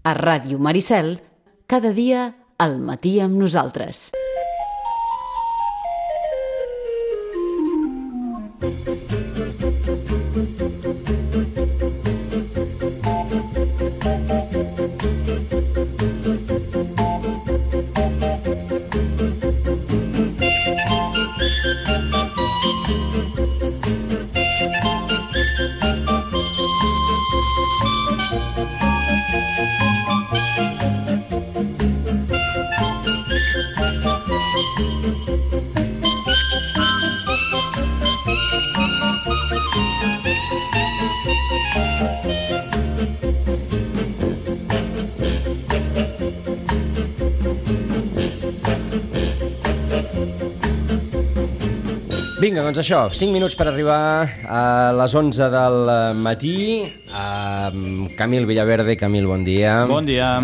A Ràdio Maricel, cada dia al matí amb nosaltres. Vinga, doncs això, 5 minuts per arribar a les 11 del matí. Camil Villaverde, Camil, bon dia. Bon dia.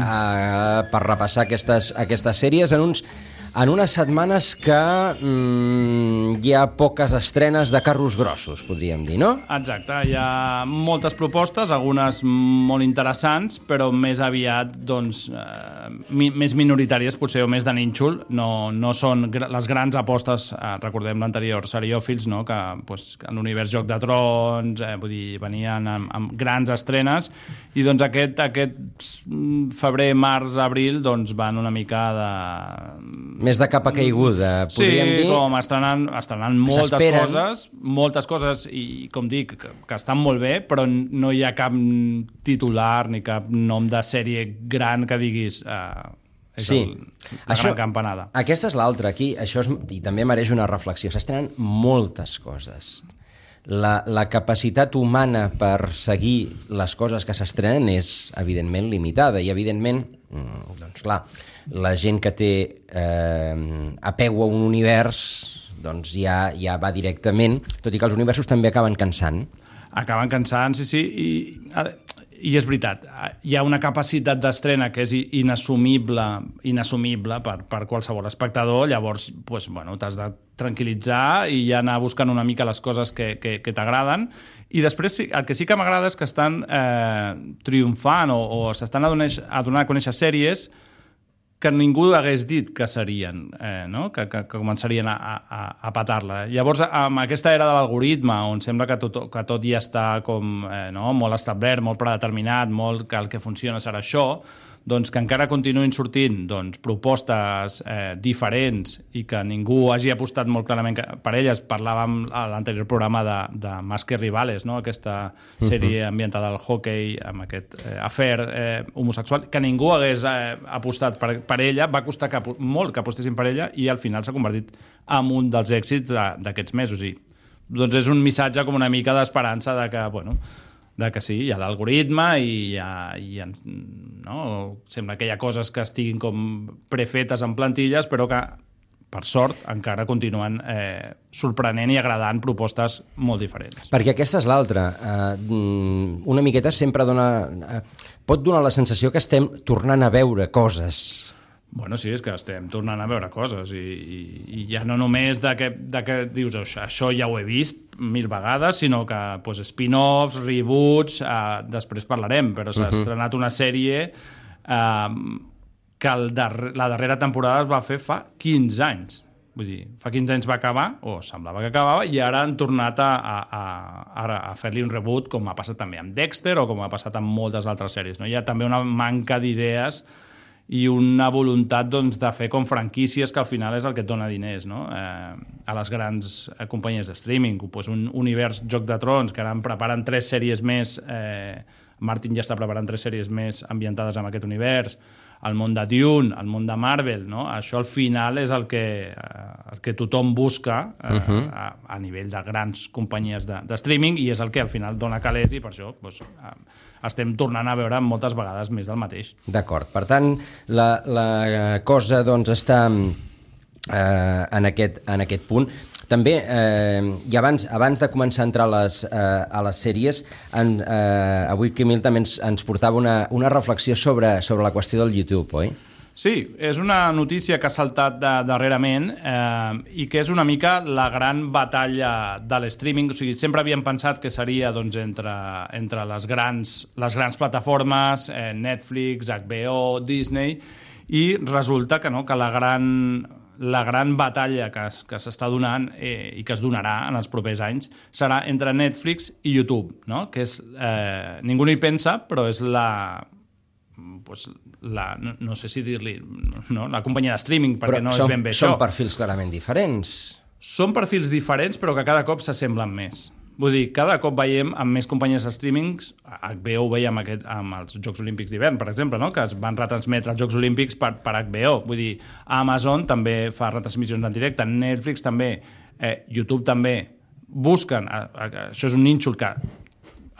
Per repassar aquestes sèries en unes setmanes que hi ha poques estrenes de carros grossos, podríem dir, no? Exacte, hi ha moltes propostes, algunes molt interessants, però més aviat, doncs, més minoritàries, potser, o més de nínxol. No són les grans apostes, recordem l'anterior Seriòfils, no? Que en l'univers Joc de Trons, vull dir, venien amb grans estrenes, i doncs aquest febrer, març, abril, doncs van una mica de... Més de capa caiguda, podríem dir. Sí, com estrenant moltes coses, i com dic, que estan molt bé, però no hi ha cap titular ni cap nom de sèrie gran que diguis... gran campanada. Aquesta és l'altra, aquí, i també mereix una reflexió. S'estrenen moltes coses. La capacitat humana per seguir les coses que s'estrenen és, evidentment, limitada, i, evidentment, doncs clar, la gent que té apego a un univers, doncs ja va directament, tot i que els universos també acaben cansant. Acaben cansant, sí, i és veritat, hi ha una capacitat d'estrena que és inassumible per qualsevol espectador, llavors t'has de tranquil·litzar i ja anar buscant una mica les coses que t'agraden, i després el que sí que m'agrada és que estan triomfant o s'estan a donar a conèixer sèries que ningú hagués dit que serien, no? que començarien a patar-la. Llavors, amb aquesta era de l'algoritme, on sembla que tot ja està com, molt establert, molt predeterminat, que el que funciona serà això, doncs que encara continuïn sortint propostes diferents i que ningú hagi apostat molt clarament per elles. Parlàvem a l'anterior programa de Más que Rivales, no? Aquesta sèrie ambientada al hockey, amb aquest afer homosexual, que ningú hagués apostat per ella, va costar molt que apostessin per ella, i al final s'ha convertit en un dels èxits d'aquests mesos. I doncs és un missatge com una mica d'esperança de que sí, hi ha l'algoritme i sembla que hi ha coses que estiguin com prefetes en plantilles, però que, per sort, encara continuen sorprenent i agradant propostes molt diferents. Perquè aquesta és l'altra. Una miqueta sempre pot donar la sensació que estem tornant a veure coses. Bueno, sí, és que estem tornant a veure coses i ja no només de que dius això ja ho he vist 1000 vegades, sinó que spin-offs, reboots, després parlarem, però s'ha estrenat una sèrie que la darrera temporada es va fer fa 15 anys. Vull dir, fa 15 anys va acabar, o semblava que acabava, i ara han tornat a fer-li un reboot, com ha passat també amb Dexter o com ha passat amb moltes altres sèries. Hi ha també una manca d'idees i una voluntat de fer com franquícies, que al final és el que et dona diners, no? A les grans companyies de streaming. Un univers Joc de Trons, que ara preparen 3 sèries més, Martin ja està preparant 3 sèries més ambientades en aquest univers, el món de Dune, el món de Marvel, no? Això al final és el que tothom busca a nivell de grans companyies de streaming, i és el que al final dona calés, i per això estem tornant a veure moltes vegades més del mateix. D'acord, per tant la cosa està en aquest punt. També, i abans de començar a entrar a les sèries, avui Camil també ens portava una reflexió sobre la qüestió del YouTube, oi? Sí, és una notícia que ha saltat darrerament i que és una mica la gran batalla de l'streaming. O sigui, sempre havíem pensat que seria doncs, entre les grans plataformes, Netflix, HBO, Disney, i resulta que no, que la gran batalla que s'està donant i que es donarà en els propers anys serà entre Netflix i YouTube, no? Que és, ningú no hi pensa, però és no sé si dir-li, no? La companyia de streaming, perquè no és ben bé això. Són perfils clarament diferents. Són perfils diferents, però que cada cop s'assemblen més. Vull dir, cada cop veiem amb més companyies de streamings, HBO ho veiem amb els Jocs Olímpics d'hivern, per exemple, no? Que es van retransmetre els Jocs Olímpics per HBO. Vull dir, Amazon també fa retransmissions en directe, Netflix també, YouTube també. Busquen, això és un nínxol que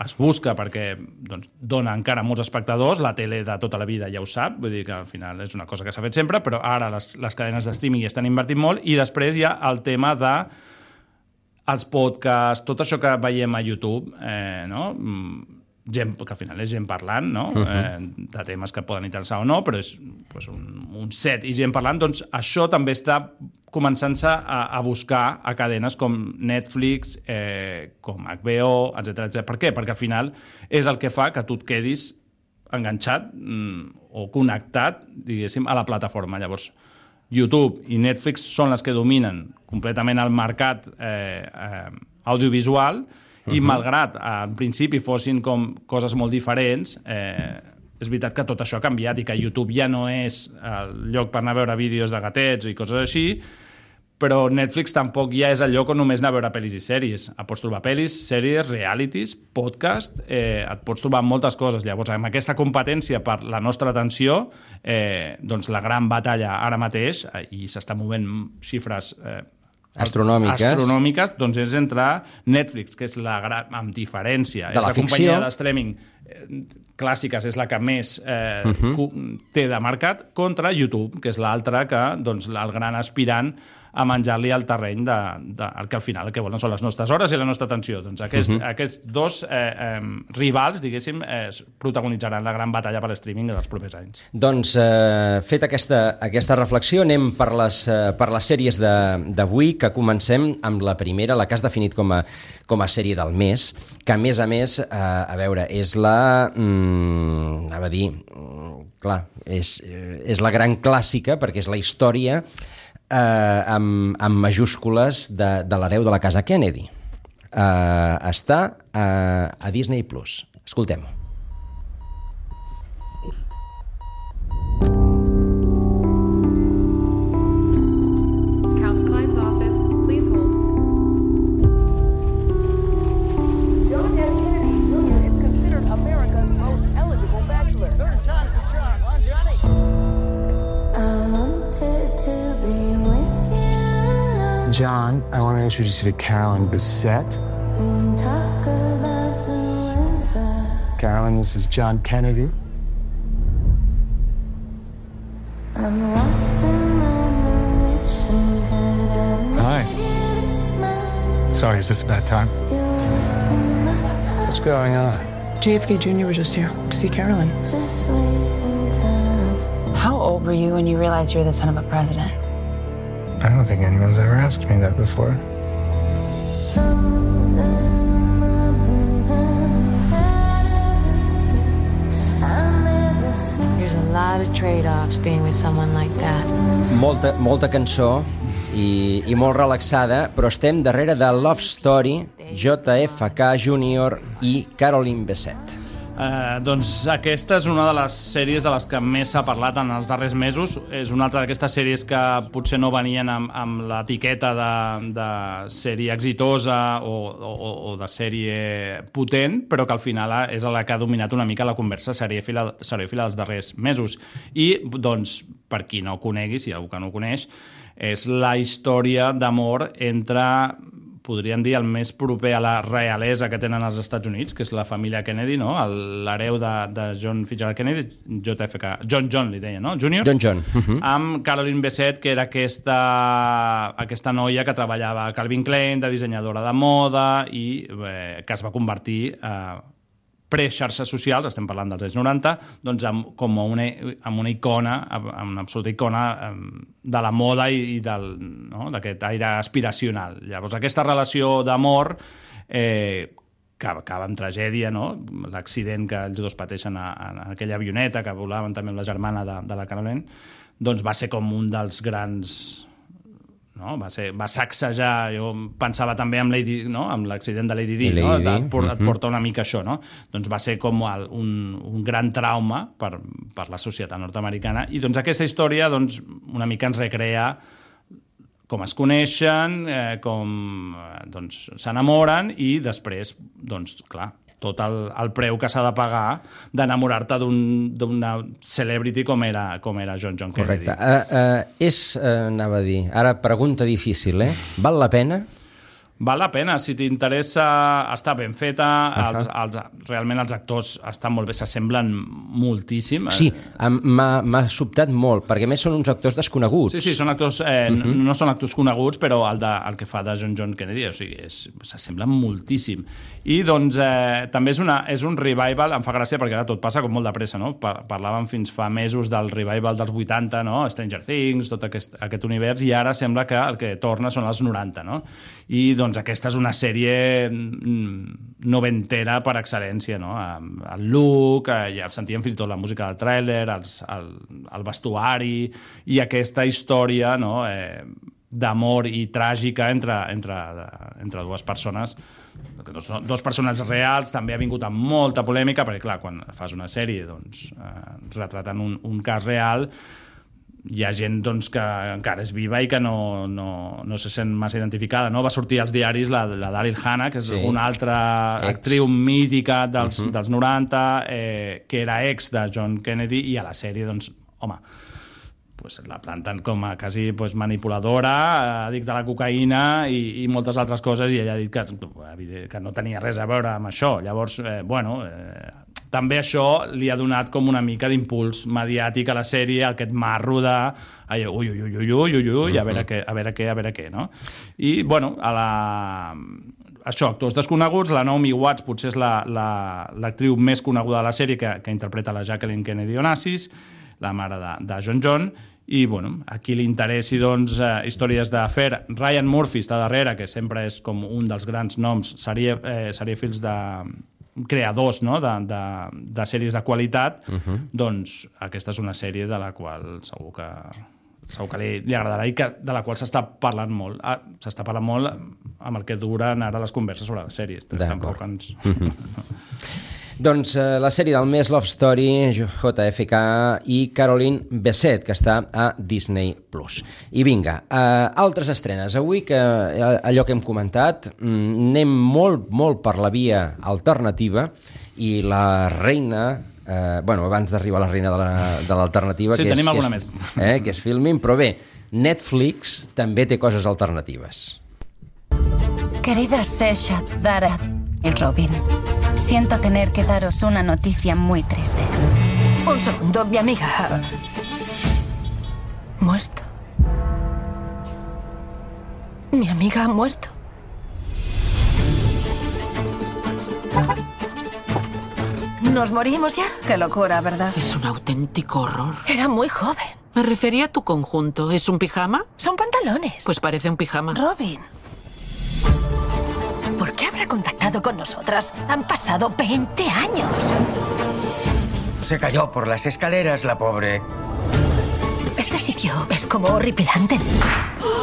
es busca perquè doncs, dona encara molts espectadors, la tele de tota la vida ja ho sap, vull dir que al final és una cosa que s'ha fet sempre, però ara les cadenes de streaming hi estan invertint molt, i després hi ha el tema de els podcasts, tot això que veiem a YouTube, no? Gent, que al final és gent parlant, no? De temes que poden interessar o no, però és pues, un set i gent parlant, doncs això també està començant-se a buscar a cadenes com Netflix, com HBO, etc. Per què? Perquè al final és el que fa que tu et quedis enganxat o connectat, diguéssim, a la plataforma. Llavors, YouTube i Netflix són les que dominen completament el mercat audiovisual, i malgrat en principi fossin com coses molt diferents, és veritat que tot això ha canviat i que YouTube ja no és el lloc per anar a veure vídeos de gatets i coses així, però Netflix tampoc ja és el lloc on només anar a veure pel·lis i sèries. Pots trobar pel·lis, sèries, realities, podcast, et pots trobar moltes coses. Llavors, amb aquesta competència per la nostra atenció, doncs la gran batalla ara mateix, i s'està movent xifres astronòmiques, doncs és entre Netflix, que és la gran, amb diferència, és la companyia de streaming clàssiques, és la que més té de mercat, contra YouTube, que és l'altra que, doncs, el gran aspirant a menjar-li al terreny el que al final el que volen són les nostres hores i la nostra atenció. Doncs aquests dos rivals, diguéssim, protagonitzaran la gran batalla per l'streaming dels propers anys. Doncs, fet aquesta reflexió, anem per les sèries d'avui, que comencem amb la primera, la que has definit com a sèrie del mes, que a més, a veure, és és la gran clàssica, perquè és la història amb majúscules de l'hereu de la casa Kennedy. Està a Disney+. Escoltem-ho. John, I want to introduce you to Carolyn Bessette. Carolyn, this is John Kennedy. Hi. Sorry, is this a bad time? What's going on? JFK Jr. was just here to see Carolyn. How old were you when you realized you were the son of a president? I don't think anyone's ever asked me that before. There's a lot of trade-offs being with someone like that. Molta cançó i molt relaxada, però estem darrere de Love Story, JFK Jr. i Carolyn Bessette. Doncs aquesta és una de les sèries de les que més s'ha parlat en els darrers mesos. És una altra d'aquestes sèries que potser no venien amb l'etiqueta de sèrie exitosa o de sèrie potent, però que al final és la que ha dominat una mica la conversa seriòfila dels darrers mesos. I, doncs, per qui no ho conegui, si hi ha algú que no ho coneix, és la història d'amor entre, podríem dir, el més proper a la realesa que tenen els Estats Units, que és la família Kennedy, no? L'hereu de John Fitzgerald Kennedy, John li deia, no? Junior? John. Amb Carolyn Bessette, que era aquesta noia que treballava a Calvin Klein, de dissenyadora de moda, i que es va convertir pre-xarxes socials, estem parlant dels anys 90, doncs amb una icona, amb una absoluta icona de la moda i d'aquest aire aspiracional. Llavors, aquesta relació d'amor que acaba en tragèdia, no? L'accident que els dos pateixen en aquella avioneta que volaven també amb la germana de la Caroline, doncs va ser com un dels grans... No? Va sacsejar, jo pensava també amb l'accident de Lady Di, no? Et porta una mica això, no? Doncs va ser com un gran trauma per la societat nord-americana, i doncs aquesta història doncs, una mica ens recrea com es coneixen, com doncs, s'enamoren, i després, doncs, clar, tot el preu que s'ha de pagar d'enamorar-te d'una celebrity com era John Kennedy. Correcte. Anava a dir, ara pregunta difícil, val la pena? Val la pena, si t'interessa, està ben feta, realment els actors estan molt bé, s'assemblen moltíssim. Sí, m'ha sobtat molt, perquè a més són uns actors desconeguts. Sí, són actors, no són actors coneguts, però el que fa de John Kennedy, o sigui, s'assemblen moltíssim. I doncs també és un revival, em fa gràcia perquè ara tot passa com molt de pressa, no? Parlàvem fins fa mesos del revival dels 80, no? Stranger Things, tot aquest univers, i ara sembla que el que torna són els 90, no? I doncs aquesta és una sèrie noventera per excel·lència, no? El look, ja sentíem fins i tot la música del tràiler, el vestuari, i aquesta història, no? D'amor i tràgica entre dues persones, dos personatges reals. També ha vingut amb molta polèmica, perquè clar, quan fas una sèrie doncs, retratant un cas real, hi ha gent doncs, que encara és viva i que no se sent massa identificada, no? Va sortir als diaris la Daryl Hannah, que és una altra actriu mítica dels 90, que era ex de John Kennedy, i a la sèrie, doncs, home, pues la planten com a quasi manipuladora, addicta a la cocaïna i moltes altres coses, i ella ha dit que no tenia res a veure amb això. Llavors, també això li ha donat com una mica d'impuls mediàtic a la sèrie, aquest marro de ui, a veure què, no? I, bueno, això, actors desconeguts, la Naomi Watts potser és l'actriu més coneguda de la sèrie, que interpreta la Jacqueline Kennedy Onassis, la mare de John, i bueno, a qui li interessi doncs, històries d'afer. Ryan Murphy està darrere, que sempre és com un dels grans noms, seriefils de creadors, no? de sèries de qualitat, doncs aquesta és una sèrie de la qual segur que li agradarà, i de la qual s'està parlant molt. S'està parlant molt amb el que duren ara les converses sobre les sèries. Tampoc ens... Doncs la sèrie del mes, Love Story, JFK i Caroline Bessette, que està a Disney+. I vinga, altres estrenes. Avui, que allò que hem comentat, anem molt per la via alternativa, i la reina... abans d'arribar a la reina de l'alternativa, sí, tenim alguna més. Que és Filmin, però bé, Netflix també té coses alternatives. Querida Sesha, Dara y Robin, siento tener que daros una noticia muy triste. Un segundo, mi amiga... ¿Muerto? ¿Mi amiga ha muerto? ¿Nos morimos ya? Qué locura, ¿verdad? Es un auténtico horror. Era muy joven. Me refería a tu conjunto. ¿Es un pijama? Son pantalones. Pues parece un pijama. Robin, ¿por qué habrá contactado con nosotras? Han pasado 20 años. Se cayó por las escaleras, la pobre. Este sitio es como horripilante.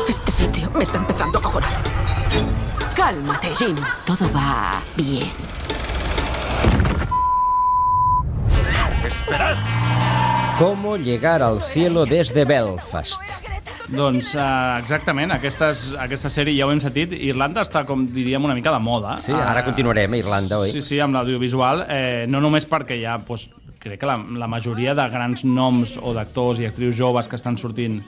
Este sitio me está empezando a cojonar. Cálmate, Jim. Todo va bien. ¡Esperad! ¿Cómo llegar al cielo desde Belfast? Doncs exactament, aquesta sèrie ja ho hem sentit. Irlanda està, com diríem, una mica de moda. Sí, ara continuarem a Irlanda, oi? Sí, amb l'audiovisual, no només perquè hi ha, crec que la majoria de grans noms o d'actors i actrius joves que estan sortint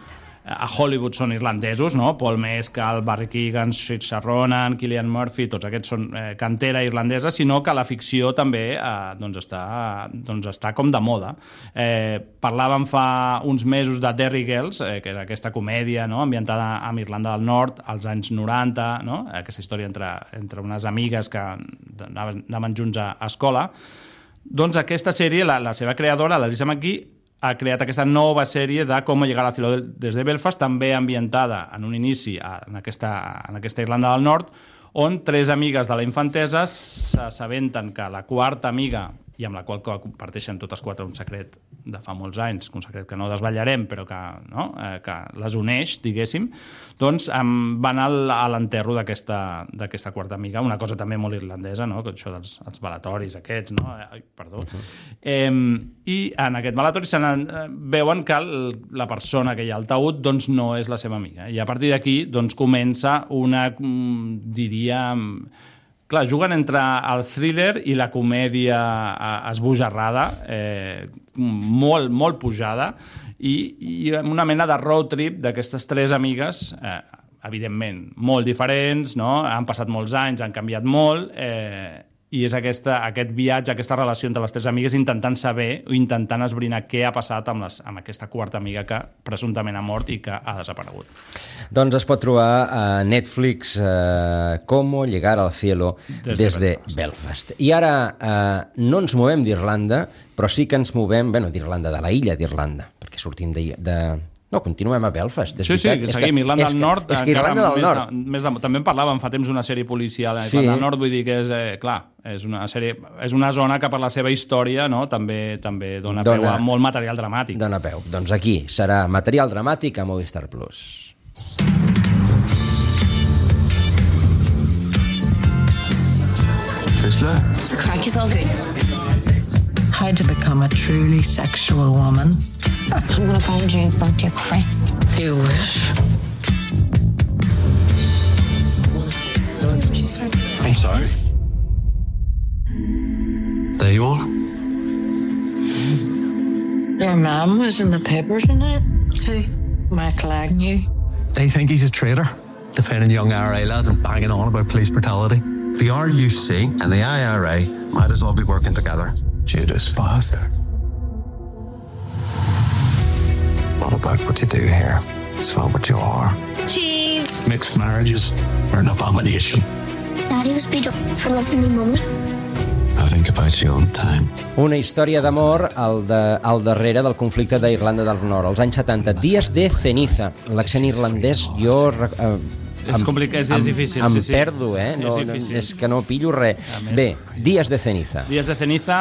a Hollywood són irlandesos, no? Paul Mescal, Barry Keoghan, Saoirse Ronan, Cillian Murphy, tots aquests són cantera irlandesa, sinó que la ficció també està com de moda. Parlàvem fa uns mesos de Derry Girls, que era aquesta comèdia, no? Ambientada a Irlanda del Nord als anys 90, no? Aquesta història entre unes amigues que anaven junts a escola. Doncs aquesta sèrie, la seva creadora, l'Alissa McGee, ha creat aquesta nova sèrie de Com llegar a la ciudad des de Belfast, també ambientada en un inici en aquesta Irlanda del Nord, on 3 amigues de la infantesa s'assabenten que la quarta amiga, i amb la qual comparteixen totes 4 un secret de fa molts anys, un secret que no desvetllarem, però que les uneix, diguéssim, doncs van a l'enterro d'aquesta quarta amiga, una cosa també molt irlandesa, no? Això dels velatoris aquests, no? Perdó. I en aquest velatori veuen que la persona que hi ha al taüt doncs no és la seva amiga, i a partir d'aquí doncs comença una, diríem... Clar, juguen entre el thriller i la comèdia esbojarrada, molt, molt pujada, i una mena de road trip d'aquestes 3 amigues, evidentment, molt diferents, no? Han passat molts anys, han canviat molt, i és aquest viatge, aquesta relació entre les 3 amigues intentant saber o intentant esbrinar què ha passat amb aquesta quarta amiga que presumptament ha mort i que ha desaparegut. Doncs es pot trobar a Netflix Cómo llegar al cielo desde Belfast. I ara no ens movem d'Irlanda, però sí que ens movem, d'Irlanda, de la illa d'Irlanda, perquè sortim de... No, continuem a Belfast. Sí, que seguim. Irlanda del Nord... És que Irlanda del Nord... També en parlàvem fa temps d'una sèrie policial a Irlanda del Nord, vull dir que és, clar, és una zona que per la seva història també dona peu a molt material dramàtic. Dona peu. Doncs aquí serà material dramàtic a Movistar Plus. Frisla? The crack is all good. How to become a truly sexual woman. I'm gonna find you, burnt to a crisp. You wish. I'm sorry. There you are. Your mum was in the paper tonight. Who? Michael Agnew. They think he's a traitor, defending young IRA lads and banging on about police brutality. The RUC and the IRA might as well be working together. Judas bastard. Not about what you do here. It's about what you are. Cheese. Mixed marriages are an abomination. Daddy was beat up for loving me, Mummy. I think about you all the time. Una història d'amor al darrere del conflicte d'Irlanda del Nord, als anys 70. Días de ceniza. L'accent irlandès, jo... És complicat, és difícil. Em perdo, és que no pillo res. Bé, Días de ceniza. Días de ceniza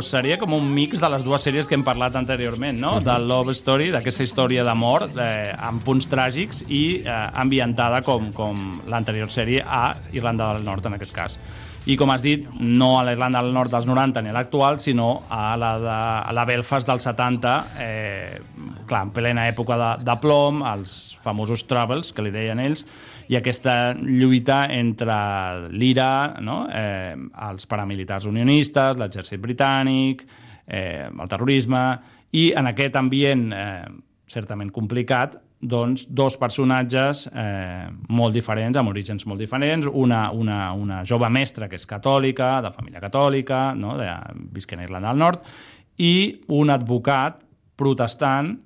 seria com un mix de les 2 sèries que hem parlat anteriorment, no? Del Love Story, d'aquesta història d'amor amb punts tràgics i ambientada com l'anterior sèrie a Irlanda del Nord, en aquest cas. I com has dit, no a la Irlanda del Nord dels 90 ni a l'actual, sinó a la Belfast dels 70, clar, en plena època de plom, els famosos Troubles, que li deien ells, i aquesta lluita entre l'IRA, no? Els paramilitars unionistes, l'exèrcit britànic, el terrorisme, i en aquest ambient certament complicat, doncs 2 personatges molt diferents, amb orígens molt diferents, una jove mestra que és catòlica, de família catòlica, no? Visquent a Irlanda del Nord, i un advocat protestant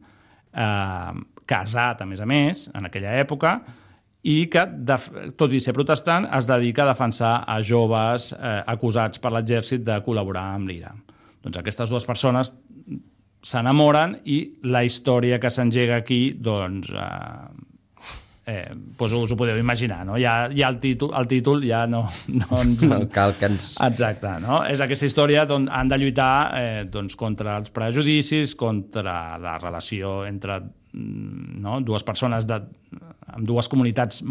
casat, a més, en aquella època, i que, tot i ser protestant, es dedica a defensar a joves acusats per l'exèrcit de col·laborar amb l'IRA. Doncs aquestes 2 persones s'enamoren i la història que s'engega aquí, doncs us ho podeu imaginar, no? Ja el títol ja no ens... No cal que ens... Exacte, no? És aquesta història on han de lluitar contra els prejudicis, contra la relació entre 2 persones amb 2 comunitats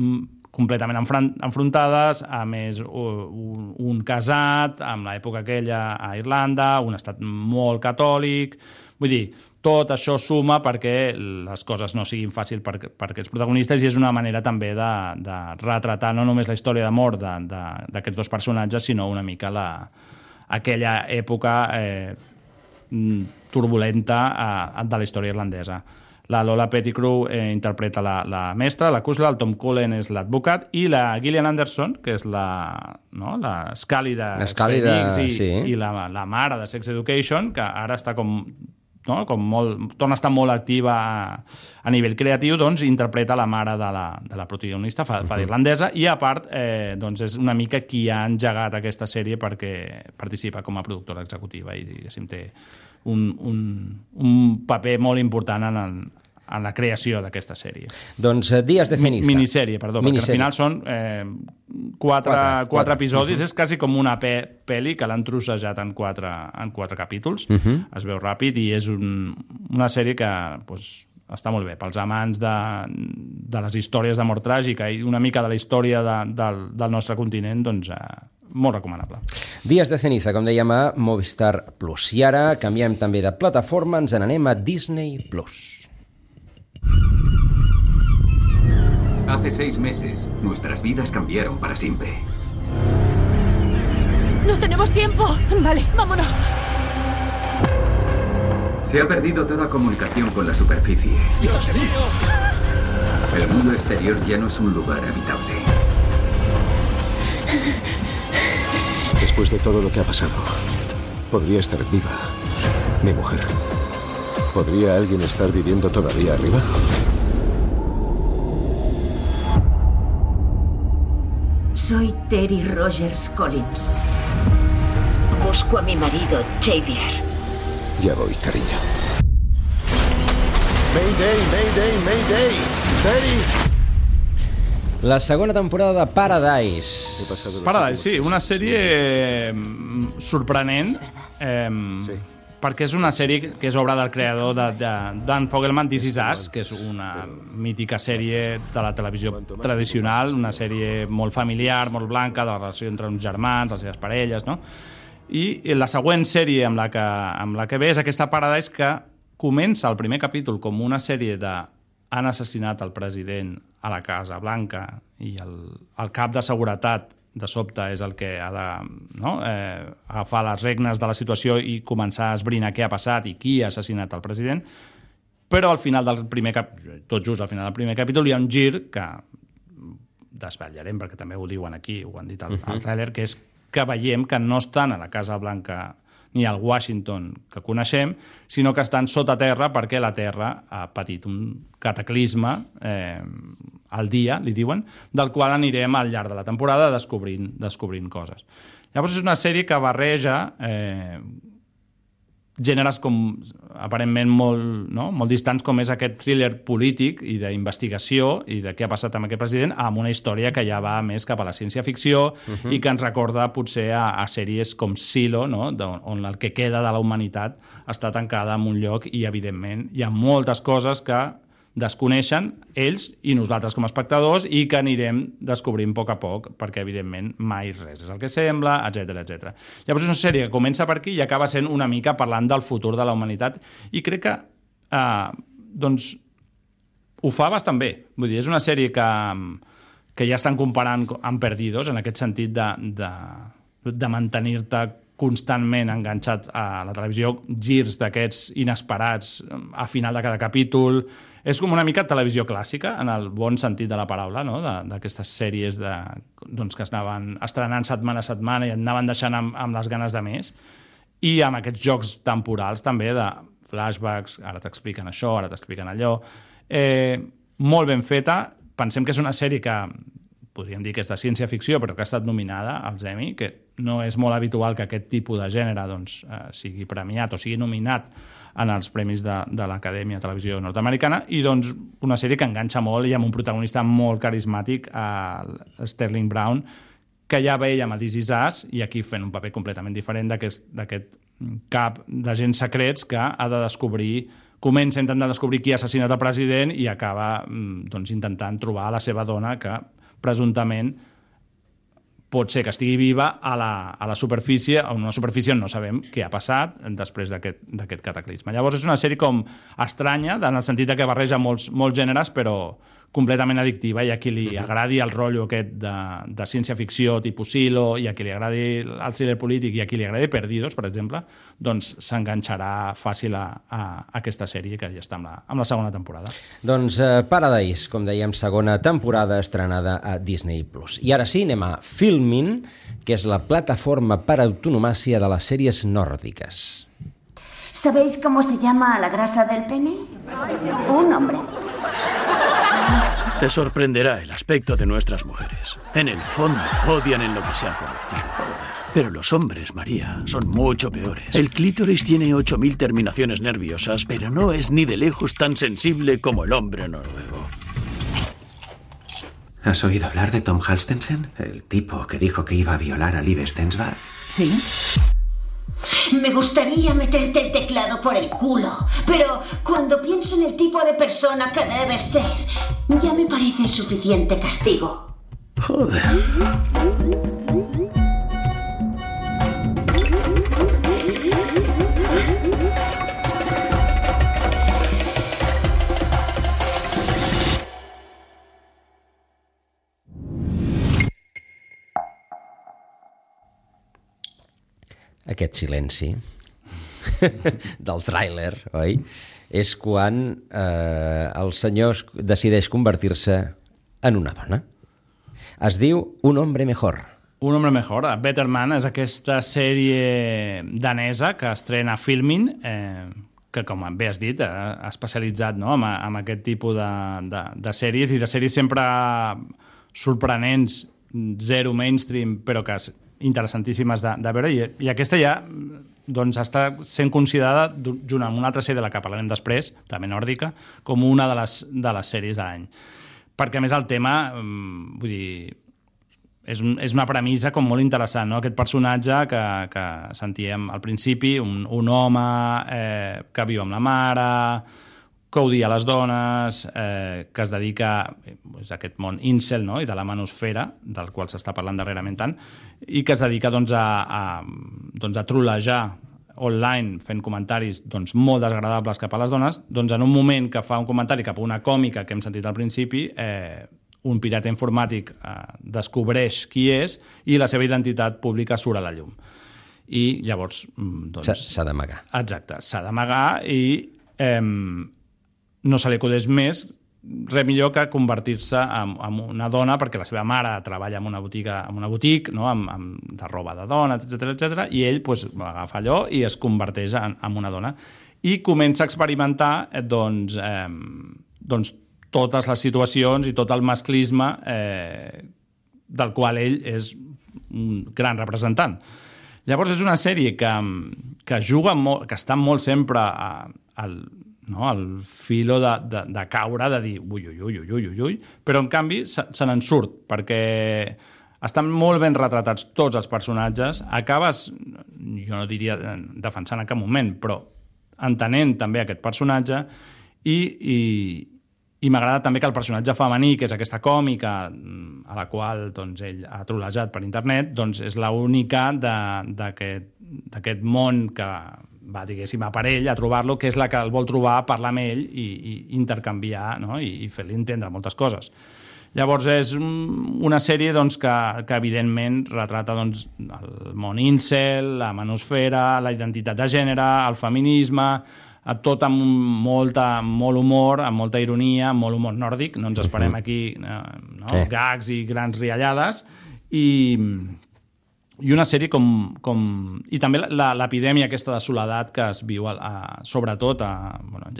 completament enfrontades, a més un casat, amb l'època aquella a Irlanda, un estat molt catòlic... Vull dir, tot això suma perquè les coses no siguin fàcils per aquests protagonistes i és una manera també de retratar no només la història d'amor d'aquests 2 personatges, sinó una mica aquella època turbulenta de la història irlandesa. La Lola Pettigrew interpreta la mestra, la Kusla, el Tom Cullen és l'advocat, i la Gillian Anderson, que és la Scully de X-Men i la mare de Sex Education, que ara està torna a estar molt activa a nivell creatiu, doncs interpreta la mare de la protagonista, fa d'irlandesa, i a part és una mica qui ha engegat aquesta sèrie perquè participa com a productora executiva i, diguéssim, té un paper molt important en la creació d'aquesta sèrie. Doncs Días de ceniza. Minissèrie, perdó, perquè al final són 4 episodis, és quasi com una pel·li que l'han trossejat en 4 capítols, es veu ràpid i és una sèrie que està molt bé pels amants de les històries d'amor tràgica i una mica de la història del nostre continent, doncs molt recomanable. Días de ceniza, com dèiem, a Movistar Plus. I ara canviem també de plataforma, ens n'anem a Disney Plus. Hace 6 meses, nuestras vidas cambiaron para siempre. ¡No tenemos tiempo! Vale, vámonos. Se ha perdido toda comunicación con la superficie. ¡Dios mío! El mundo exterior ya no es un lugar habitable. Después de todo lo que ha pasado, podría estar viva mi mujer. ¿Podría alguien estar viviendo todavía arriba? Soy Terry Rogers Collins. Busco a mi marido, Xavier. Ya voy, cariño. Mayday, Mayday, Mayday. Terry. La segona temporada de Paradise. Paradise, sí, una sèrie sorprenent, perquè és una sèrie que és obra del creador Dan Fogelman, This Is Us, que és una mítica sèrie de la televisió tradicional, una sèrie molt familiar, molt blanca, de la relació entre uns germans, les seves parelles, no? I la següent sèrie amb la que ve és aquesta Paradise, que comença el primer capítol com una sèrie de han assassinat el president a la Casa Blanca i el cap de seguretat de sobte és el que ha d'agafar les regnes de la situació i començar a esbrinar què ha passat i qui ha assassinat el president, però al final del primer tot just al final del primer capítol hi ha un gir que desvetllarem perquè també ho diuen aquí, ho han dit al tràiler, que és que veiem que no estan a la Casa Blanca ni al Washington que coneixem, sinó que estan sota terra perquè la Terra ha patit un cataclisme al dia, li diuen, del qual anirem al llarg de la temporada descobrint coses. Llavors és una sèrie que barreja gèneres com aparentment molt distants, com és aquest thriller polític i d'investigació i de què ha passat amb aquest president, amb una història que ja va més cap a la ciència-ficció i que ens recorda potser a sèries com Silo, no? On el que queda de la humanitat està tancada en un lloc i, evidentment, hi ha moltes coses que desconeixen ells i nosaltres com a espectadors i que anirem descobrint a poc, perquè evidentment mai res és el que sembla, etc. Llavors és una sèrie que comença per aquí i acaba sent una mica parlant del futur de la humanitat i crec que ho fa bastant bé. Vull dir, és una sèrie que ja estan comparant amb Perdidos, en aquest sentit de mantenir-te constantment enganxat a la televisió, girs d'aquests inesperats a final de cada capítol. És com una mica televisió clàssica, en el bon sentit de la paraula, no? D'aquestes sèries que es anaven estrenant setmana a setmana i et anaven deixant amb les ganes de més. I amb aquests jocs temporals també de flashbacks, ara t'expliquen això, ara t'expliquen allò. Molt ben feta. Pensem que és una sèrie que podríem dir que és de ciència-ficció, però que ha estat nominada als Emmy, que no és molt habitual que aquest tipus de gènere sigui premiat o sigui nominat en els premis de l'Acadèmia de Televisió Nord-Americana, i una sèrie que enganxa molt i amb un protagonista molt carismàtic, Sterling Brown, que ja veiem a This Is Us, i aquí fent un paper completament diferent d'aquest cap d'agents secrets que ha de descobrir, comença intentant descobrir qui ha assassinat el president i acaba intentant trobar la seva dona, que presumptament pot ser que estigui viva a la superfície, a una superfície on no sabem què ha passat després d'aquest cataclisme. Llavors és una sèrie com estranya, en el sentit que barreja molts gèneres, però completament addictiva, i a qui li agradi el rotllo aquest de ciència-ficció tipus Silo, i a qui li agradi el thriller polític, i a qui li agradi Perdidos, per exemple, doncs s'enganxarà fàcil a aquesta sèrie, que ja està amb la segona temporada. Doncs Paradise, com dèiem, segona temporada estrenada a Disney+. I ara sí, anem a Filmin, que és la plataforma per autonomàcia de les sèries nòrdiques. ¿Sabéis cómo se llama la grasa del pene? Un hombre. Te sorprenderá el aspecto de nuestras mujeres. En el fondo, odian en lo que se han convertido. Pero los hombres, María, son mucho peores. El clítoris tiene 8.000 terminaciones nerviosas, pero no es ni de lejos tan sensible como el hombre noruego. ¿Has oído hablar de Tom Halstensen? El tipo que dijo que iba a violar a Liv Stensvad. ¿Sí? Me gustaría meterte el teclado por el culo, pero cuando pienso en el tipo de persona que debe ser, ya me parece suficiente castigo. Joder. Aquest silenci del tràiler, oi? És quan el senyor decideix convertir-se en una dona. Es diu Un hombre mejor. Un hombre mejor. Better Man és aquesta sèrie danesa que estrena Filmin, que, com bé has dit, ha especialitzat, no?, en aquest tipus de sèries, i de sèries sempre sorprenents, zero mainstream, però que interessantíssimes de veure, i aquesta ja doncs està sent considerada, junt amb una altra sèrie de la que parlarem després, també nòrdica, com una de les sèries de l'any. Perquè, a més, el tema, vull dir, és una premissa com molt interessant, no? Aquest personatge que sentíem al principi, un home que viu amb la mare, que odia les dones, que es dedica a aquest món incel, no?, i de la manosfera, del qual s'està parlant darrerament tant, i que es dedica a trollejar online, fent comentaris molt desagradables cap a les dones. Doncs en un moment que fa un comentari cap a una còmica que hem sentit al principi, un pirata informàtic descobreix qui és i la seva identitat pública surt a la llum. I llavors... S'ha d'amagar. Exacte, s'ha d'amagar, i no se li acudeix més res millor que convertir-se en una dona, perquè la seva mare treballa en una botiga, no?, de roba de dona, etc, i ell agafa allò i es converteix en una dona. I comença a experimentar totes les situacions i tot el masclisme del qual ell és un gran representant. Llavors és una sèrie que juga molt, que està molt sempre al filo de caure, de dir ui, però en canvi se n'en surt, perquè estan molt ben retratats tots els personatges. Acabes, jo no diria defensant en cap moment, però entenent també aquest personatge, i m'agrada també que el personatge femení, que és aquesta còmica a la qual ell ha trolejat per internet, és l'única d'aquest món que va, diguéssim, a per ell, a trobar-lo, que és la que el vol trobar, parlar amb ell i intercanviar, no?, i fer-li entendre moltes coses. Llavors és una sèrie que evidentment retrata el món incel, la manosfera, la identitat de gènere, el feminisme, tot amb molt humor, amb molta ironia, amb molt humor nòrdic. No ens esperem aquí gags i grans riallades, i una sèrie i també l'epidèmia aquesta de soledat que es viu sobretot,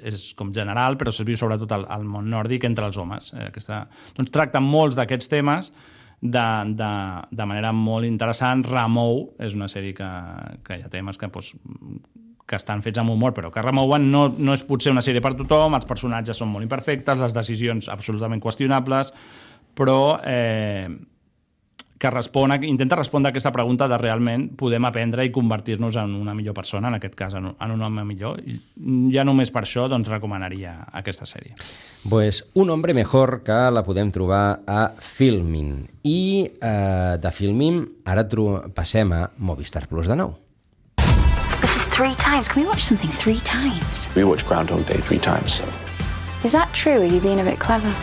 és com general, però es viu sobretot al món nòrdic entre els homes. Tracta molts d'aquests temes de manera molt interessant. Remou és una sèrie que hi ha temes que estan fets amb humor, però que remouen. No és potser una sèrie per tothom, els personatges són molt imperfectes, les decisions absolutament qüestionables, però que intenta respondre a aquesta pregunta de realment podem aprendre i convertir-nos en una millor persona, en aquest cas en un home millor. I ja només per això recomanaria aquesta sèrie. Pues Un hombre mejor, que la podem trobar a Filmin. I de Filmin ara passem a Movistar Plus de nou. This is 3 times. Can we watch something 3 times? We watch Groundhog Day 3 times, so. Is that true? Are you being a bit clever?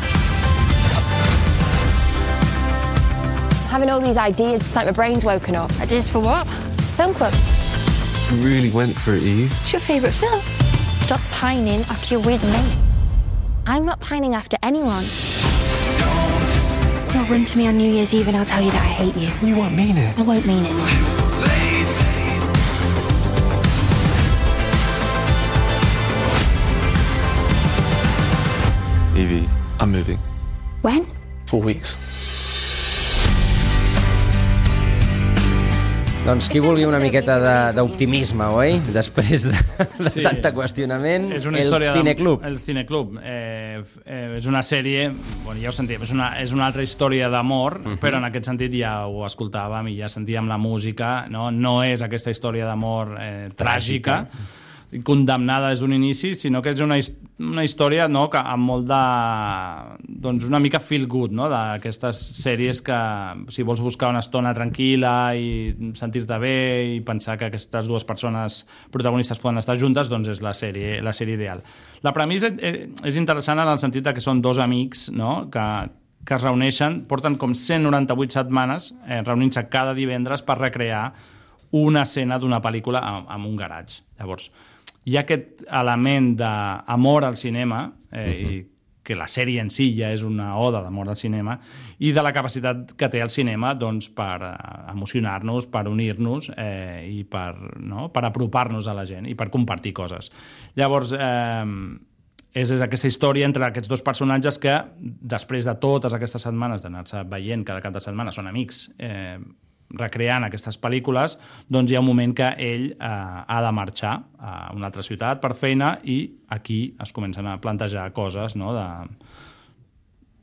having all these ideas. It's like my brain's woken up. Ideas for what? Film club. You really went for it, Eve. What's your favourite film? Stop pining after your weird mate. I'm not pining after anyone. You'll run to me on New Year's Eve and I'll tell you that I hate you. You won't mean it. I won't mean it. Evie, I'm moving. When? 4 weeks. Doncs qui vulgui una miqueta d'optimisme, oi? Després de tanta qüestionament, el Cineclub. El Cineclub. És una sèrie, bueno, ja ho sentíem, és una altra història d'amor, però en aquest sentit ja ho escoltàvem i ja sentíem la música, no és aquesta història d'amor tràgica, condemnada des d'un inici, sinó que és una història que amb molt de... doncs una mica feel good, no? D'aquestes sèries que si vols buscar una estona tranquil·la i sentir-te bé i pensar que aquestes dues persones protagonistes poden estar juntes, doncs és la sèrie ideal. La premissa és interessant en el sentit que són dos amics, no? que es reuneixen, porten com 198 setmanes reunint-se cada divendres per recrear una escena d'una pel·lícula en un garatge. Llavors, hi ha aquest element d'amor al cinema, i que la sèrie en si ja és una oda d'amor al cinema, i de la capacitat que té el cinema doncs, per emocionar-nos, per unir-nos i per apropar-nos a la gent i per compartir coses. Llavors, és aquesta història entre aquests dos personatges que, després de totes aquestes setmanes d'anar-se veient cada cap de setmana, són amics, recreant aquestes pel·lícules, doncs hi ha un moment que ell ha de marxar a una altra ciutat per feina i aquí es comencen a plantejar coses, no? De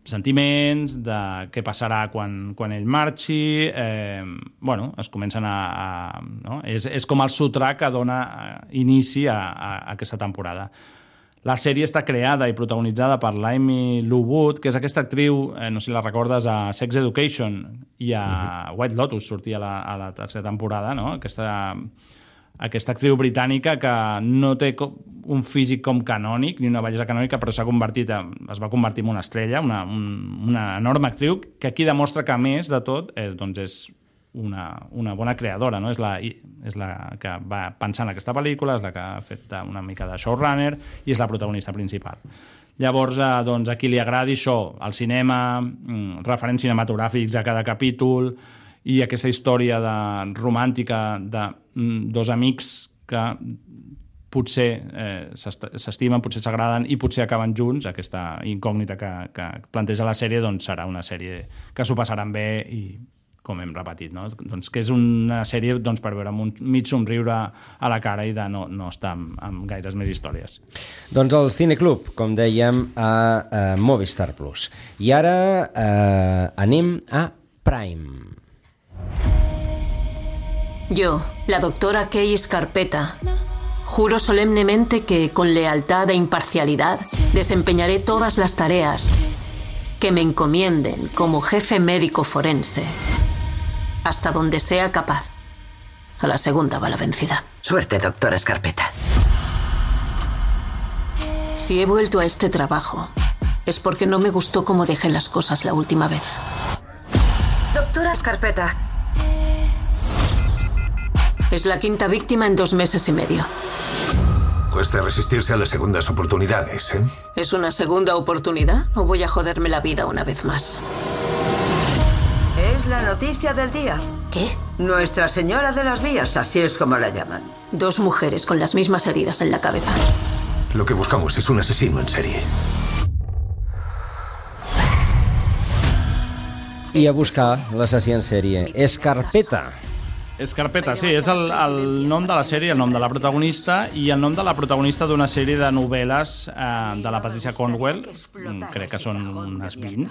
sentiments, de què passarà quan ell marxi, es comencen no? És com el sotrac que dona inici a aquesta temporada. La sèrie està creada i protagonitzada per l'Amy Lou Wood, que és aquesta actriu, no sé si la recordes, a Sex Education i a White Lotus, sortia a la tercera temporada, no? Aquesta actriu britànica que no té un físic com canònic, ni una bellesa canònica, però es va convertir en una estrella, una enorme actriu, que aquí demostra que, a més de tot, doncs és una bona creadora, no? És la que va pensar en aquesta pel·lícula, és la que ha fet una mica de showrunner i és la protagonista principal. Llavors, doncs, a qui li agradi això, el cinema, referents cinematogràfics a cada capítol i aquesta història romàntica de dos amics que potser s'estimen, potser s'agraden i potser acaben junts, aquesta incògnita que planteja la sèrie, doncs serà una sèrie que s'ho passaran bé i com hem repetit, no? Doncs que és una sèrie per veure amb un mig somriure a la cara i de no estar amb gaires més històries. Doncs el Cineclub, com dèiem, a Movistar Plus. I ara anem a Prime. Yo, la doctora Kay Scarpetta, juro solemnemente que con lealtad e imparcialidad desempeñaré todas las tareas que me encomienden como jefe médico forense hasta donde sea capaz. A la segunda va la vencida. Suerte, doctora Scarpetta. Si he vuelto a este trabajo es porque no me gustó cómo dejé las cosas la última vez. Doctora Scarpetta. Es la quinta víctima en 2 meses y medio. Cuesta resistirse a las segundas oportunidades, ¿eh? ¿Es una segunda oportunidad o voy a joderme la vida una vez más? Es la noticia del día. ¿Qué? Nuestra Señora de las Vías, así es como la llaman. 2 mujeres con las mismas heridas en la cabeza. Lo que buscamos es un asesino en serie. I a buscar l'assassí en sèrie. Scarpetta. Scarpetta, sí, és el nom de la sèrie, el nom de la protagonista i el nom de la protagonista d'una sèrie de novel·les de la Patricia Cornwell, crec que són unes 20,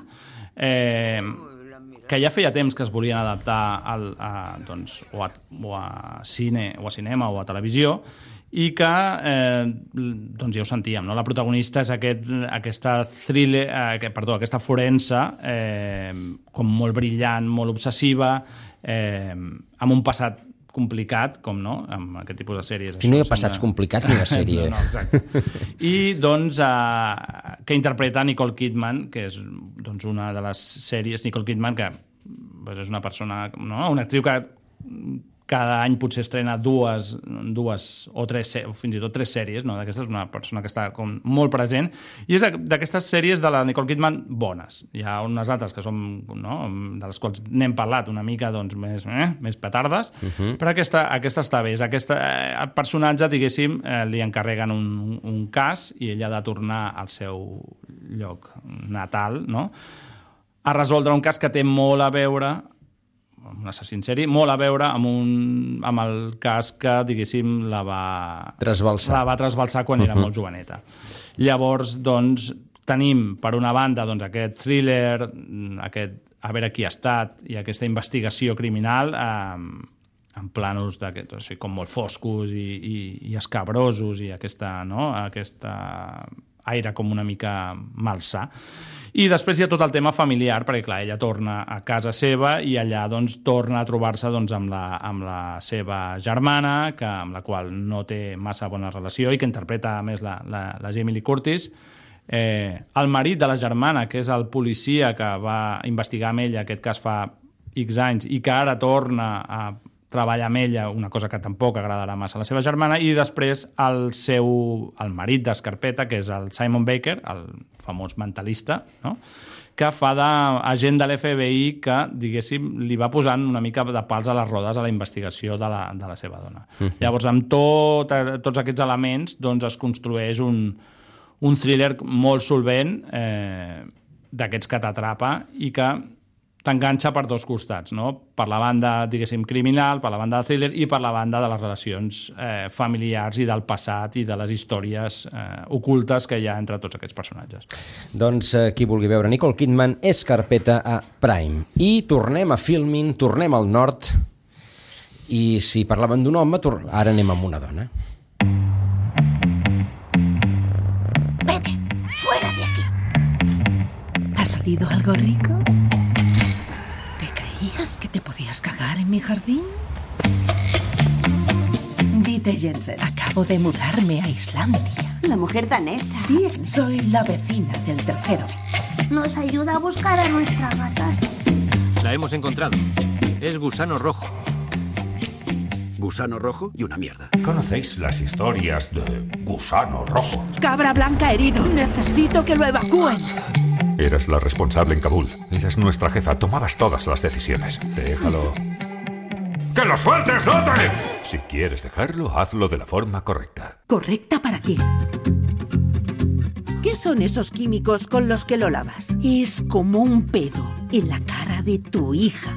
que ja feia temps que es volien adaptar o a cinema o a televisió, i que, doncs ja ho sentíem, no? La protagonista és aquesta forense com molt brillant, molt obsessiva, amb un passat complicat, com no, amb aquest tipus de sèries. Si no hi ha passats complicats ni la sèrie. No, exacte. I, doncs, que interpreta Nicole Kidman, que és una de les sèries, Nicole Kidman, que és una persona, no? Una actriu que cada any potser estrena dues o tres, o fins i tot 3 sèries, no? D'aquesta és una persona que està com molt present, i és d'aquestes sèries de la Nicole Kidman bones. Hi ha unes altres que són, no? De les quals n'hem parlat una mica doncs, més petardes, però aquesta està bé. El personatge, diguéssim, li encarreguen un cas i ell ha de tornar al seu lloc natal, no? A resoldre un cas que té molt a veure, un assassí en sèrie, molt a veure amb el cas que, diguéssim, la va trasbalsar quan era molt joveneta. Llavors, doncs, tenim, per una banda, doncs, aquest thriller, a veure qui ha estat, i aquesta investigació criminal en planos com molt foscos i escabrosos, i aquesta aire com una mica malsà. I després hi ha tot el tema familiar, perquè clar, ella torna a casa seva i allà doncs, torna a trobar-se doncs, amb la seva germana, amb la qual no té massa bona relació i que interpreta a més la Jamie Lee Curtis. El marit de la germana, que és el policia que va investigar amb ella aquest cas fa X anys i que ara torna a treballar amb ella, una cosa que tampoc agradarà massa a la seva germana, i després el marit d'Escarpeta, que és el Simon Baker, el famós mentalista, no? Que fa d'agent de l'FBI que, diguéssim, li va posant una mica de pals a les rodes a la investigació de la seva dona. Llavors, amb tots aquests elements, doncs es construeix un thriller molt solvent d'aquests que t'atrapa i que t'enganxa per dos costats, no? Per la banda, diguéssim, criminal, per la banda de thriller i per la banda de les relacions familiars i del passat i de les històries ocultes que hi ha entre tots aquests personatges. Doncs qui vulgui veure Nicole Kidman, Escarpeta a Prime. I tornem a Filmin, tornem al nord, i si parlaven d'un home, ara anem amb una dona. Vete, fuera de aquí. ¿Ha salido algo rico? ¿Creías que te podías cagar en mi jardín? Dite, Jensen, acabo de mudarme a Islandia. La mujer danesa. Sí, soy la vecina del tercero. Nos ayuda a buscar a nuestra gata. La hemos encontrado. Es Gusano Rojo. Gusano Rojo y una mierda. ¿Conocéis las historias de Gusano Rojo? Cabra blanca herido. Necesito que lo evacúen. Eras la responsable en Kabul. Eras nuestra jefa. Tomabas todas las decisiones. Déjalo. ¡Que lo sueltes, Dote! Si quieres dejarlo, hazlo de la forma correcta. ¿Correcta para quién? ¿Qué son esos químicos con los que lo lavas? Es como un pedo en la cara de tu hija.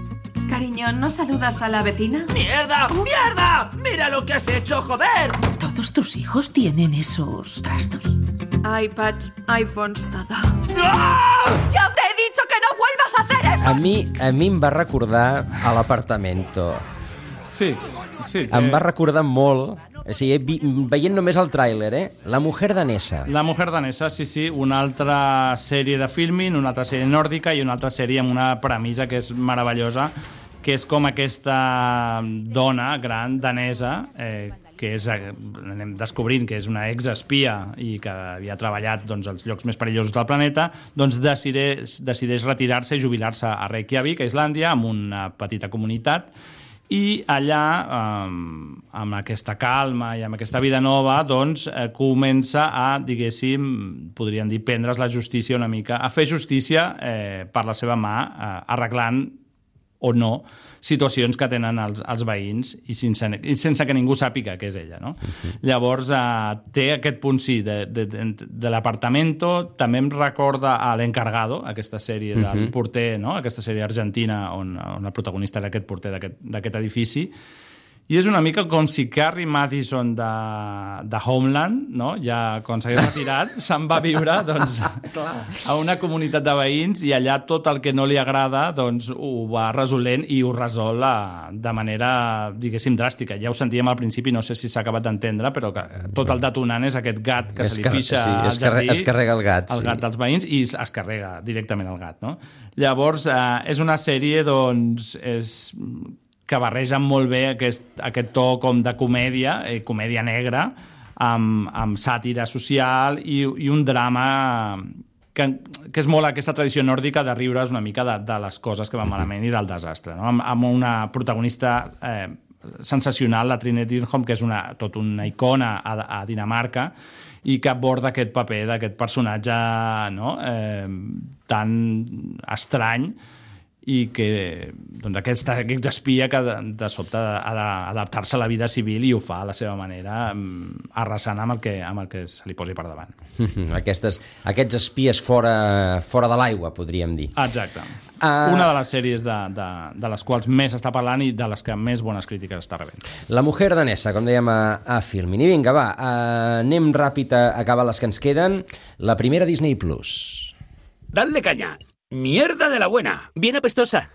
Cariño, ¿no saludas a la vecina? ¡Mierda! ¡Mierda! ¡Mira lo que has hecho, joder! ¿Todos tus hijos tienen esos trastos? iPads, iPhones, todo. ¡Ah! ¡Ya te he dicho que no vuelvas a hacer eso! A mi em va recordar a l'Apartamento. Sí. Em va recordar molt. O sigui, veient només el tràiler, La mujer danesa. La mujer danesa, sí. Una altra sèrie de Filmin, una altra sèrie nòrdica i una altra sèrie amb una premissa que és meravellosa, que és com aquesta dona gran danesa, que anem descobrint que és una exespia i que havia treballat als llocs més perillosos del planeta, doncs decideix retirar-se i jubilar-se a Reykjavik, a Islàndia, amb una petita comunitat, i allà, amb aquesta calma i amb aquesta vida nova, doncs comença a, diguéssim, podríem dir, prendre's la justícia una mica, a fer justícia per la seva mà, arreglant o no situacions que tenen els veïns i sense que ningú sàpiga que és ella, no? Llavors té aquest punt, sí, de l'Apartamento. També em recorda a l'Encargado, aquesta sèrie del porter, no? Aquesta sèrie argentina on el protagonista era aquest porter d'aquest edifici. I és una mica com si Carrie Mathison de Homeland, no? Ja quan s'hagués retirat, se'n va viure a una comunitat de veïns i allà tot el que no li agrada ho va resolent i ho resol de manera, diguéssim, dràstica. Ja ho sentíem al principi, no sé si s'ha acabat d'entendre, però que tot el detonant és aquest gat que se li pixa al jardí. Es carrega el gat. El gat dels veïns i es carrega directament el gat, no? Llavors, és una sèrie, que barregen molt bé aquest to com de comèdia, comèdia negra, amb sàtira social i un drama que és molt aquesta tradició nòrdica de riure's una mica de les coses que van malament i del desastre, no? Amb una protagonista sensacional, la Trine Dyrholm, que és tot una icona a Dinamarca i que aborda aquest paper d'aquest personatge, no? Tan estrany i que doncs, aquest espia que de sobte ha d'adaptar-se a la vida civil i ho fa a la seva manera, arrasant amb el que se li posi per davant. Aquests espies fora de l'aigua, podríem dir. Exacte. Una de les sèries de les quals més s'està parlant i de les que més bones crítiques està rebent. La mujer danesa, com dèiem a Filmin. I vinga, va, anem ràpid a acabar les que ens queden. La primera Disney Plus. Dadle caña. Mierda de la buena. Bien apestosa.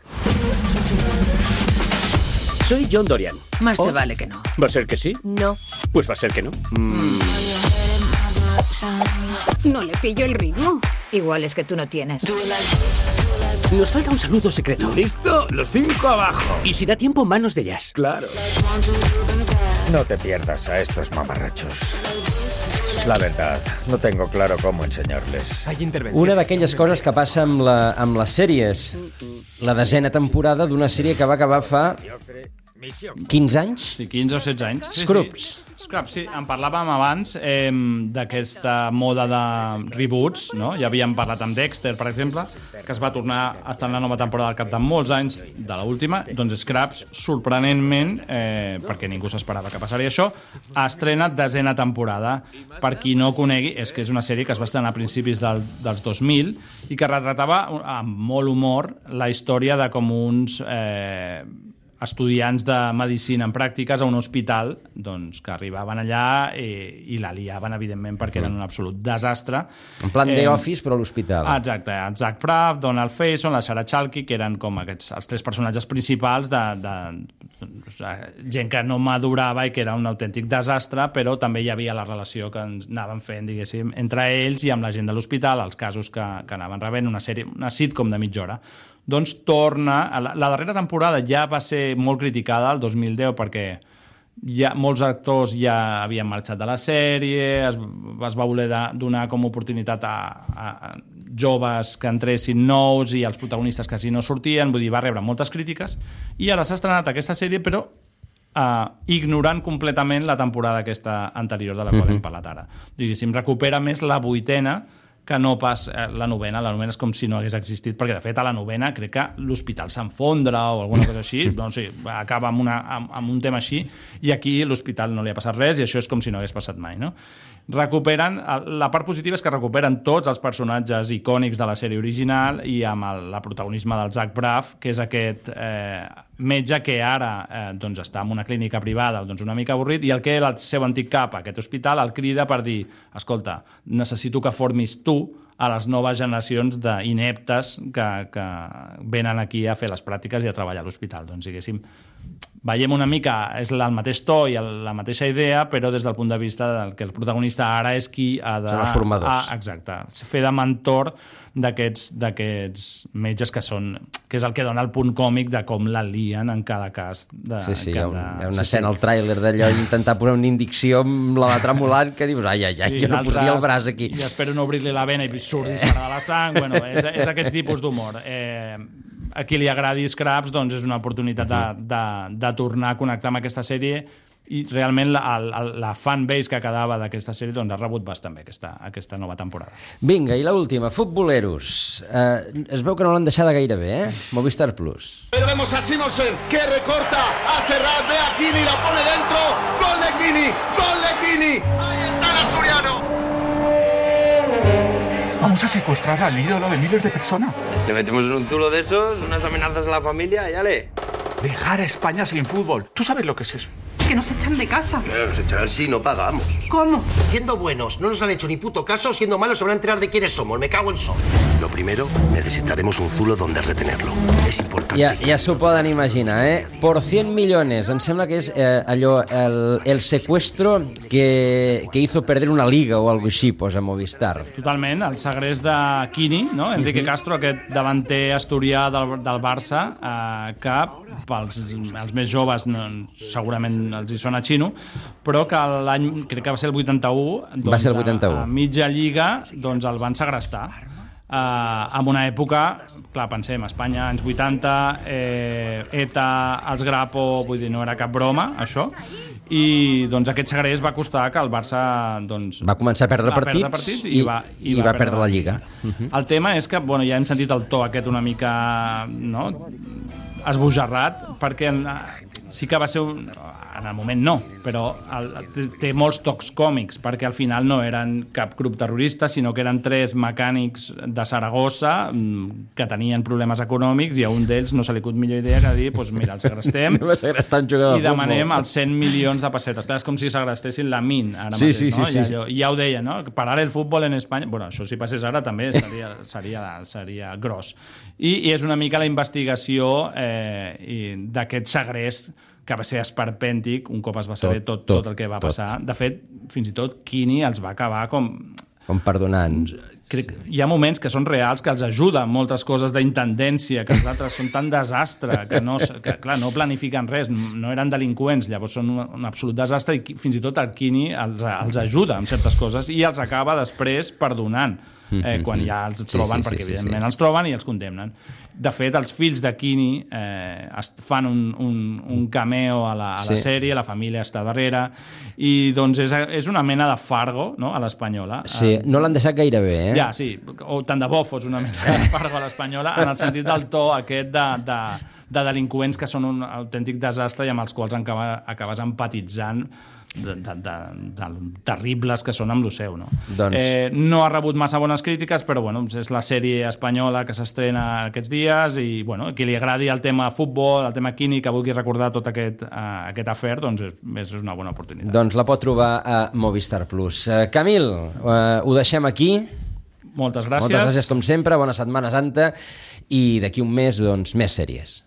Soy John Dorian. Más te vale que no. ¿Va a ser que sí? No. Pues va a ser que no. No le pillo el ritmo. Igual es que tú no tienes. Nos falta un saludo secreto. ¿Listo? Los 5 abajo. Y si da tiempo, manos de jazz. Claro. No te pierdas a estos mamarrachos. La verdad, no tengo claro cómo enseñarles. Una d'aquelles coses que passa amb les sèries. La 10ª temporada d'una sèrie que va acabar fa 15 anys? Sí, 15 o 16 anys. Scrubs. Scrubs, sí. En parlàvem abans d'aquesta moda de reboots, no? Ja havíem parlat amb Dexter, per exemple, que es va tornar a estar en la nova temporada al cap de molts anys de l'última. Doncs Scrubs, sorprenentment, perquè ningú s'esperava que passaria això, estrena 10ª temporada. Per qui no conegui, és que és una sèrie que es va estrenar a principis dels 2000 i que retratava amb molt humor la història de com uns estudiants de medicina en pràctiques a un hospital doncs, que arribaven allà i la liaven, evidentment, perquè eren un absolut desastre. En plan The Office, però a l'hospital. Exacte. El Zach Braff, Donald Faison, la Sarah Chalke, que eren com els 3 personatges principals de gent que no madurava i que era un autèntic desastre, però també hi havia la relació que ens anaven fent, diguéssim, entre ells i amb la gent de l'hospital, els casos que anaven rebent, una sitcom de mitja hora. Doncs torna... La darrera temporada ja va ser molt criticada, el 2010, perquè molts actors ja havien marxat de la sèrie, es va voler donar com a oportunitat a joves que entressin nous i els protagonistes quasi no sortien, vull dir, va rebre moltes crítiques, i ara s'ha estrenat aquesta sèrie, però ignorant completament la temporada aquesta anterior de la qual hem parlat ara. Diguéssim, recupera més la 8ª que no pas la 9ª. La 9ª és com si no hagués existit, perquè de fet a la 9ª crec que l'hospital s'enfondra o alguna cosa així, doncs sí, acaba amb un tema així, i aquí l'hospital no li ha passat res i això és com si no hagués passat mai, no? Recuperen, la part positiva és que recuperen tots els personatges icònics de la sèrie original i amb el protagonisme del Zach Braff, que és aquest metge que ara doncs està en una clínica privada doncs una mica avorrit, i el que era el seu antic cap a aquest hospital el crida per dir, escolta, necessito que formis tu a les noves generacions d'ineptes que venen aquí a fer les pràctiques i a treballar a l'hospital. Doncs, diguéssim, veiem una mica, és el mateix to i la mateixa idea, però des del punt de vista que el protagonista ara és qui ha de... Són els formadors. Exacte. Fer de mentor d'aquests metges que és el que dona el punt còmic de com la lien en cada cas. Sí, hi ha una escena al tràiler d'allò intentar posar una indicció amb la tremolant que dius, ai, jo no posaria el braç aquí. I espero no obrir-li la vena i surt disparada la sang. Bueno, és aquest tipus d'humor. A qui li agradi Scrubs, doncs és una oportunitat de tornar a connectar amb aquesta sèrie, i realment la fanbase que quedava d'aquesta sèrie doncs ha rebut bastant bé aquesta nova temporada. Vinga, i l'última, Futboleros. Es veu que no l'han deixada gaire bé, Movistar Plus. Pero vemos a Simonsen, que recorta a Serrat, ve a Kini, la pone dentro, gol de Kini, gol de Kini, ahí está el asturiano. Vamos a secuestrar al ídolo de miles de personas. Le metemos en un zulo de esos, unas amenazas a la familia, y ale. Dejar a España sin fútbol. ¿Tú sabes lo que es eso? Que nos echan de casa. Nos echarán si no pagamos. ¿Cómo? Siendo buenos, no nos han hecho ni puto caso. Siendo malos, se van a enterar de quiénes somos. Me cago en sol. Lo primero, necesitaremos un zulo donde retenerlo. És important. Ja s'ho poden imaginar, Por 100 millones. Em sembla que és allò, el secuestro que hizo perder una liga o algo així, posa Movistar. Totalment, el segrest de Kini, no? Enrique Castro, aquest davanter asturià del Barça, que pels més joves segurament els hi sona xino, però que l'any, crec que va ser el 81, doncs, va ser el 81. a mitja lliga doncs el van segrestar. en una època, clar, pensem, Espanya, anys 80, ETA, els Grapo, vull dir, no era cap broma, això, i doncs aquest segrest va costar que el Barça va començar a perdre partits i va perdre la Lliga. El tema és que, bueno, ja hem sentit el to aquest una mica, no?, esbojarrat, perquè sí que va ser en el moment no, però té molts tocs còmics, perquè al final no eren cap grup terrorista, sinó que eren 3 mecànics de Saragossa que tenien problemes econòmics i a un d'ells no se li acut millor idea que dir, doncs mira, el segrestem i demanem els 100 milions de pessetes. Clar, és com si segrestessin la MIN ara mateix, no? I ja ho deia, no? Parar el futbol en Espanya... Bueno, això si passés ara també seria gros. I és una mica la investigació d'aquest segrest que va ser esperpèntic un cop es va saber tot el que va passar. De fet, fins i tot Quini els va acabar com perdonant. Hi ha moments que són reals, que els ajuden moltes coses d'intendència, que els altres són tan desastre que clar, no planifiquen res, no eren delinqüents, llavors són un absolut desastre i fins i tot el Quini els ajuda en certes coses i els acaba després perdonant quan ja els troben, perquè evidentment els troben i els condemnen. De fet, els fills de Quini fan un cameo a la sèrie, la família està darrere, i doncs és una mena de Fargo, no?, a l'espanyola. Sí, no l'han deixat gaire bé, Ja, sí, o tant de bo fos una mena de Fargo a l'espanyola, en el sentit del to aquest de delinqüents que són un autèntic desastre i amb els quals acabes empatitzant de terribles que són amb lo seu, no? No ha rebut massa bones crítiques, però bueno, és la sèrie espanyola que s'estrena aquests dies i bueno, qui li agradi el tema futbol, el tema Quini, que vulgui recordar tot aquest afer, doncs és una bona oportunitat. Doncs la pot trobar a Movistar Plus. Camil, ho deixem aquí. Moltes gràcies. Moltes gràcies com sempre, bona Setmana Santa i d'aquí un mes, doncs, més sèries.